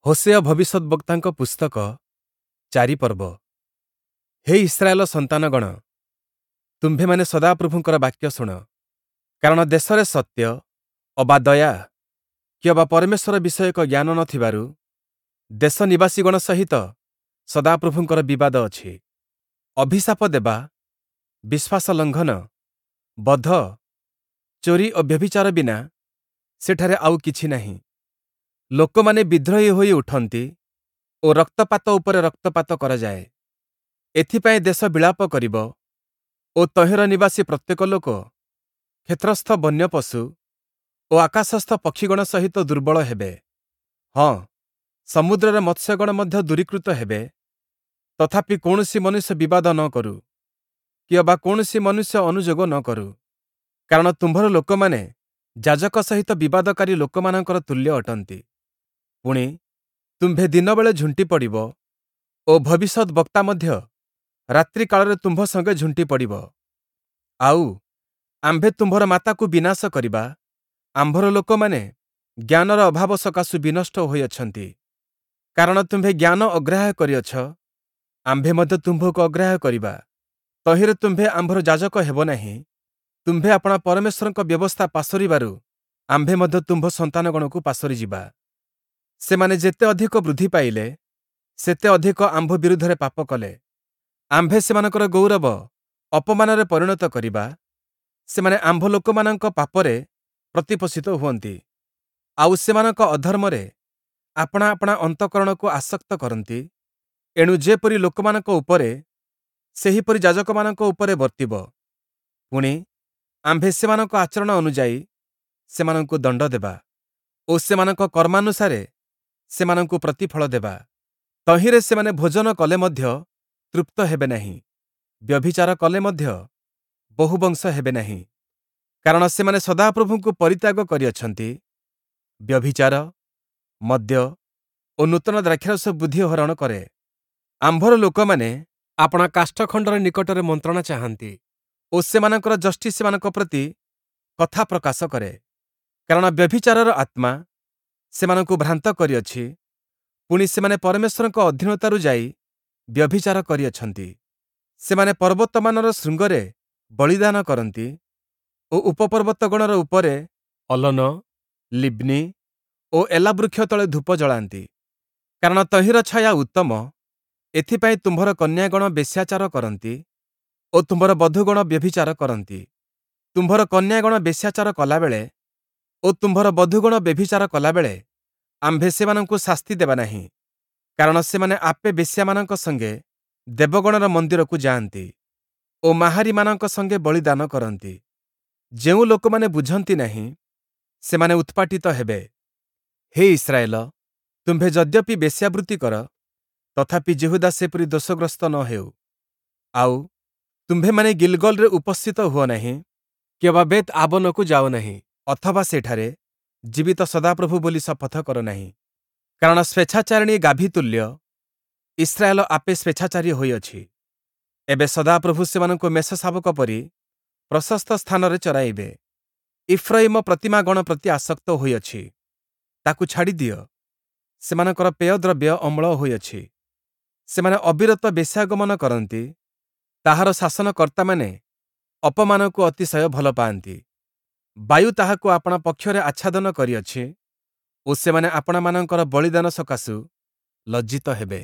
Hoshea ଭବିଷ୍ୟଦ୍‌ବକ୍ତାଙ୍କ ପୁସ୍ତକ 4 ପର୍ବ। ହେ Israel ସନ୍ତାନଗଣ, ତୁମ୍ଭେମାନେ ସଦାପ୍ରଭୁଙ୍କର ବାକ୍ୟ ଶୁଣ। କାରଣ ଦେଶରେ ସତ୍ୟ ଅବା ଦୟା କିଅବା ପରମେଶ୍ୱର ବିଷୟକ ଜ୍ଞାନ ନ ଥିବାରୁ ଦେଶ ନିବାସୀଗଣ ସହିତ ସଦାପ୍ରଭୁଙ୍କର ବିବାଦ ଅଛି। ଅଭିଶାପ ଦେବା, ବିଶ୍ୱାସ ଲଙ୍ଘନ, ବଧ, ଚୋରି ଓ ବ୍ୟଭିଚାର ବିନା ସେଠାରେ ଆଉ କିଛି ନାହିଁ। ଲୋକମାନେ ବିଦ୍ରୋହୀ ହୋଇ ଉଠନ୍ତି ଓ ରକ୍ତପାତ ଉପରେ ରକ୍ତପାତ କରାଯାଏ। ଏଥିପାଇଁ ଦେଶ ବିଳାପ କରିବ ଓ ତହିଁର ନିବାସୀ ପ୍ରତ୍ୟେକ ଲୋକ କ୍ଷେତ୍ରସ୍ଥ ବନ୍ୟପଶୁ ଓ ଆକାଶସ୍ଥ ପକ୍ଷିଗଣ ସହିତ ଦୁର୍ବଳ ହେବେ। ହଁ, ସମୁଦ୍ରର ମତ୍ସ୍ୟଗଣ ମଧ୍ୟ ଦୂରୀକୃତ ହେବେ। ତଥାପି କୌଣସି ମନୁଷ୍ୟ ବିବାଦ ନ କରୁ, କିଅବା କୌଣସି ମନୁଷ୍ୟ ଅନୁଯୋଗ ନ କରୁ। କାରଣ ତୁମ୍ଭର ଲୋକମାନେ ଯାଜକ ସହିତ ବିବାଦକାରୀ ଲୋକମାନଙ୍କର ତୁଲ୍ୟ ଅଟନ୍ତି। ପୁଣି, ତୁମ୍ଭେ ଦିନବେଳେ ଝୁଣ୍ଟି ପଡ଼ିବ ଓ ଭବିଷ୍ୟଦ୍‌ବକ୍ତା ମଧ୍ୟ ରାତ୍ରିକାଳରେ ତୁମ୍ଭ ସଙ୍ଗେ ଝୁଣ୍ଟି ପଡ଼ିବ। ଆଉ, ଆମ୍ଭେ ତୁମ୍ଭର ମାତାକୁ ବିନାଶ କରିବା, ଆମ୍ଭର ଲୋକମାନେ ଜ୍ଞାନର ଅଭାବ ସକାଶୁ ବିନଷ୍ଟ ହୋଇଅଛନ୍ତି। କାରଣ ତୁମ୍ଭେ ଜ୍ଞାନ ଅଗ୍ରାହ୍ୟ କରିଅଛ, ଆମ୍ଭେ ମଧ୍ୟ ତୁମ୍ଭକୁ ଅଗ୍ରାହ୍ୟ କରିବା। ତହିଁରେ ତୁମ୍ଭେ ଆମ୍ଭର ଯାଜକ ହେବ ନାହିଁ। ତୁମ୍ଭେ ଆପଣା ପରମେଶ୍ୱରଙ୍କ ବ୍ୟବସ୍ଥା ପାସୋରିବାରୁ ଆମ୍ଭେ ମଧ୍ୟ ତୁମ୍ଭ ସନ୍ତାନଗଣକୁ ପାସୋରିଯିବା। ସେମାନେ ଯେତେ ଅଧିକ ବୃଦ୍ଧି ପାଇଲେ, ସେତେ ଅଧିକ ଆମ୍ଭ ବିରୁଦ୍ଧରେ ପାପ କଲେ। ଆମ୍ଭେ ସେମାନଙ୍କର ଗୌରବ ଅପମାନରେ ପରିଣତ କରିବା। ସେମାନେ ଆମ୍ଭ ଲୋକମାନଙ୍କ ପାପରେ ପ୍ରତିପୋଷିତ ହୁଅନ୍ତି, ଆଉ ସେମାନଙ୍କ ଅଧର୍ମରେ ଆପଣା ଆପଣା ଅନ୍ତଃକରଣକୁ ଆସକ୍ତ କରନ୍ତି। ଏଣୁ ଯେପରି ଲୋକମାନଙ୍କ ଉପରେ, ସେହିପରି ଯାଜକମାନଙ୍କ ଉପରେ ବର୍ତ୍ତିବ। ପୁଣି, ଆମ୍ଭେ ସେମାନଙ୍କ ଆଚରଣ ଅନୁଯାୟୀ ସେମାନଙ୍କୁ ଦଣ୍ଡ ଦେବା ଓ ସେମାନଙ୍କ କର୍ମାନୁସାରେ ସେମାନଙ୍କୁ ପ୍ରତିଫଳ ଦେବା। ତହିଁରେ ସେମାନେ ଭୋଜନ କଲେ ମଧ୍ୟ ତୃପ୍ତ ହେବେ ନାହିଁ, ବ୍ୟଭିଚାର କଲେ ମଧ୍ୟ ବହୁବଂଶ ହେବେ ନାହିଁ। କାରଣ ସେମାନେ ସଦାପ୍ରଭୁଙ୍କୁ ପରିତ୍ୟାଗ କରିଅଛନ୍ତି, ବ୍ୟଭିଚାର, ମଦ୍ୟ ଓ ନୂତନ ଦ୍ରାକ୍ଷାରସ ବୁଦ୍ଧି ହରଣ କରେ। ଆମ୍ଭର ଲୋକମାନେ ଆପଣା କାଷ୍ଠଖଣ୍ଡର ନିକଟରେ ମନ୍ତ୍ରଣା ଚାହାନ୍ତି ଓ ସେମାନଙ୍କର ଯଷ୍ଟି ସେମାନଙ୍କ ପ୍ରତି କଥା ପ୍ରକାଶ କରେ। କାରଣ ବ୍ୟଭିଚାରର ଆତ୍ମା ସେମାନଙ୍କୁ ଭ୍ରାନ୍ତ କରିଅଛି, ପୁଣି ସେମାନେ ପରମେଶ୍ୱରଙ୍କ ଅଧୀନତାରୁ ଯାଇ ବ୍ୟଭିଚାର କରିଅଛନ୍ତି। ସେମାନେ ପର୍ବତମାନର ଶୃଙ୍ଗରେ ବଳିଦାନ କରନ୍ତି ଓ ଉପପର୍ବତଗଣର ଉପରେ ଅଲନ, ଲିବ୍ନି ଓ ଏଲା ବୃକ୍ଷ ତଳେ ଧୂପ ଜଳାନ୍ତି। କାରଣ ତହିଁର ଛାୟା ଉତ୍ତମ, ଏଥିପାଇଁ ତୁମ୍ଭର କନ୍ୟାଗଣ ବେଶ୍ୟାଚାର କରନ୍ତି ଓ ତୁମ୍ଭର ବଧୂଗଣ ବ୍ୟଭିଚାର କରନ୍ତି। ତୁମ୍ଭର କନ୍ୟାଗଣ ବେଶ୍ୟାଚାର କଲାବେଳେ ଓ ତୁମ୍ଭର ବଧୂଗଣ ବ୍ୟଭିଚାର କଲାବେଳେ ଆମ୍ଭେ ସେମାନଙ୍କୁ ଶାସ୍ତି ଦେବା ନାହିଁ, କାରଣ ସେମାନେ ଆପେ ବେଶ୍ୟାମାନଙ୍କ ସଙ୍ଗେ ଦେବଗଣର ମନ୍ଦିରକୁ ଯାଆନ୍ତି ଓ ମାହାରୀମାନଙ୍କ ସଙ୍ଗେ ବଳିଦାନ କରନ୍ତି। ଯେଉଁ ଲୋକମାନେ ବୁଝନ୍ତି ନାହିଁ, ସେମାନେ ଉତ୍ପାଟିତ ହେବେ। ହେ ଇସ୍ରାଏଲ, ତୁମ୍ଭେ ଯଦ୍ୟପି ବେଶ୍ୟାବୃତ୍ତି କର, ତଥାପି ଯିହୁଦା ସେପରି ଦୋଷଗ୍ରସ୍ତ ନ ହେଉ। ଆଉ, ତୁମ୍ଭେମାନେ ଗିଲ୍‌ଗଲରେ ଉପସ୍ଥିତ ହୁଅ ନାହିଁ, କିଅବା ବେତ୍ ଆବନକୁ ଯାଅ ନାହିଁ, ଅଥବା ସେଠାରେ ଜୀବିତ ସଦାପ୍ରଭୁ ବୋଲି ଶପଥ କର ନାହିଁ। କାରଣ ସ୍ୱେଚ୍ଛାଚାରିଣୀ ଗାଭୀ ତୁଲ୍ୟ ଇସ୍ରାଏଲ ଆପେ ସ୍ୱେଚ୍ଛାଚାରୀ ହୋଇଅଛି। ଏବେ ସଦାପ୍ରଭୁ ସେମାନଙ୍କୁ ମେଷଶାବକ ପରି ପ୍ରଶସ୍ତ ସ୍ଥାନରେ ଚରାଇବେ। ଇଫ୍ରୟିମ ପ୍ରତିମାଗଣ ପ୍ରତି ଆସକ୍ତ ହୋଇଅଛି, ତାକୁ ଛାଡ଼ିଦିଅ। ସେମାନଙ୍କର ପେୟଦ୍ରବ୍ୟ ଅମ୍ଳ ହୋଇଅଛି। ସେମାନେ ଅବିରତ ବେଶ୍ୟାଗମନ କରନ୍ତି, ତାହାର ଶାସନକର୍ତ୍ତାମାନେ ଅପମାନକୁ ଅତିଶୟ ଭଲ ପାଆନ୍ତି। ବାୟୁ ତାହାକୁ ଆପଣା ପକ୍ଷରେ ଆଚ୍ଛାଦନ କରିଅଛି ଓ ସେମାନେ ଆପଣାମାନଙ୍କର ବଳିଦାନ ସକାଶୁ ଲଜ୍ଜିତ ହେବେ।